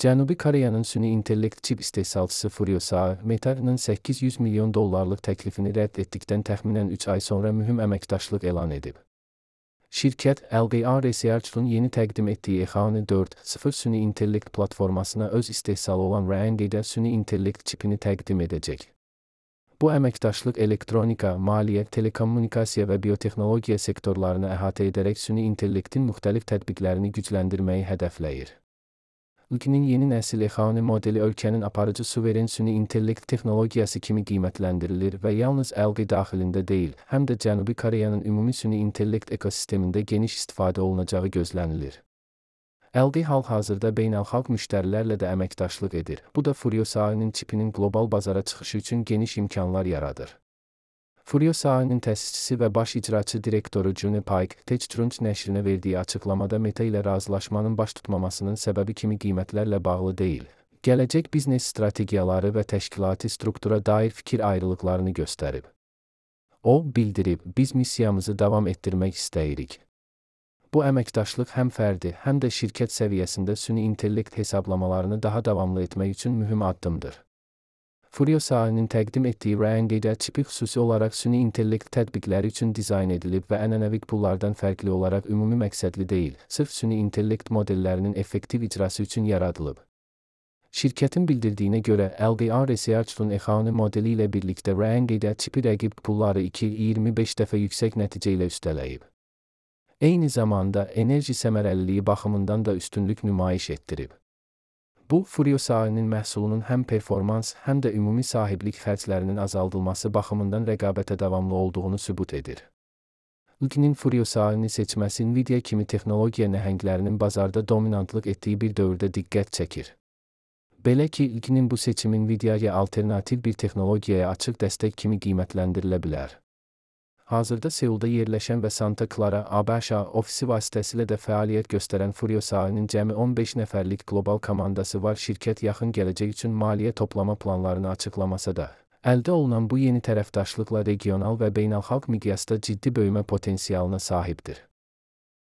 Cənubi Koreyanın süni intellekt çip istehsalçısı Furiosa, Meta'nın $800 milyon təklifini rədd etdikdən təxminən 3 ay sonra mühüm əməkdaşlıq elan edib. Şirkət, LGA Research'un yeni təqdim etdiyi EXANı 4.0 süni intellekt platformasına öz istehsalı olan Ryangate'ə süni intellekt çipini təqdim edəcək. Bu əməkdaşlıq elektronika, maliyyə, telekommunikasiya və biotexnologiya sektorlarını əhatə edərək süni intellektin müxtəlif tətbiqlərini gücləndirməyi hədəfləyir. Ülkənin yeni nəsil EXANı modeli ölkənin aparıcı suveren süni intellekt texnologiyası kimi qiymətləndirilir və yalnız LG daxilində deyil, həm də Cənubi Koreyanın ümumi süni intellekt ekosistemində geniş istifadə olunacağı gözlənilir. LG hal-hazırda beynəlxalq müştərilərlə də əməkdaşlıq edir. Bu da Furiosa'nın çipinin qlobal bazara çıxışı üçün geniş imkanlar yaradır. Furiosa'nın təsisçisi və baş icraçı direktoru Juni Park, TechCrunch nəşrinə verdiyi açıqlamada Meta ilə razılaşmanın baş tutmamasının səbəbi kimi qiymətlərlə bağlı deyil, gələcək biznes strategiyaları və təşkilati struktura dair fikir ayrılıqlarını göstərib. O, bildirib, biz missiyamızı davam etdirmək istəyirik. Bu əməkdaşlıq həm fərdi, həm də şirkət səviyyəsində süni intellekt hesablamalarını daha davamlı etmək üçün mühüm addımdır. Furiosa'nın təqdim etdiyi Ryangate çipi xüsusi olaraq süni intellekt tətbiqləri üçün dizayn edilib və ənənəvi pullardan fərqli olaraq ümumi məqsədli deyil, sırf süni intellekt modellərinin effektiv icrası üçün yaradılıb. Şirkətin bildirdiyinə görə, LGA Research'un EXANı modeli ilə birlikdə Ryangate çipi rəqib pulları 2,25 dəfə yüksək nəticə ilə üstələyib. Eyni zamanda, enerji səmərəliliyi baxımından da üstünlük nümayiş etdirib. Bu, Furiosa'nın məhsulunun həm performans, həm də ümumi sahiblik xərclərinin azaldılması baxımından rəqabətə davamlı olduğunu sübut edir. Ülkənin Furiosa'nı seçməsi Nvidia kimi texnologiya nəhənglərinin bazarda dominantlıq etdiyi bir dövrdə diqqət çəkir. Belə ki, ülkənin bu seçimi Nvidia'ya alternativ bir texnologiyaya açıq dəstək kimi qiymətləndirilə bilər. Hazırda Seulda yerləşən və Santa Clara, ABŞ ofisi vasitəsilə də fəaliyyət göstərən Furiosa'nın cəmi 15 nəfərlik qlobal komandası var. Şirkət yaxın gələcək üçün maliyyə toplama planlarını açıqlamasa da, əldə olunan bu yeni tərəfdaşlıqla regional və beynəlxalq miqyasda ciddi böyümə potensialına sahibdir.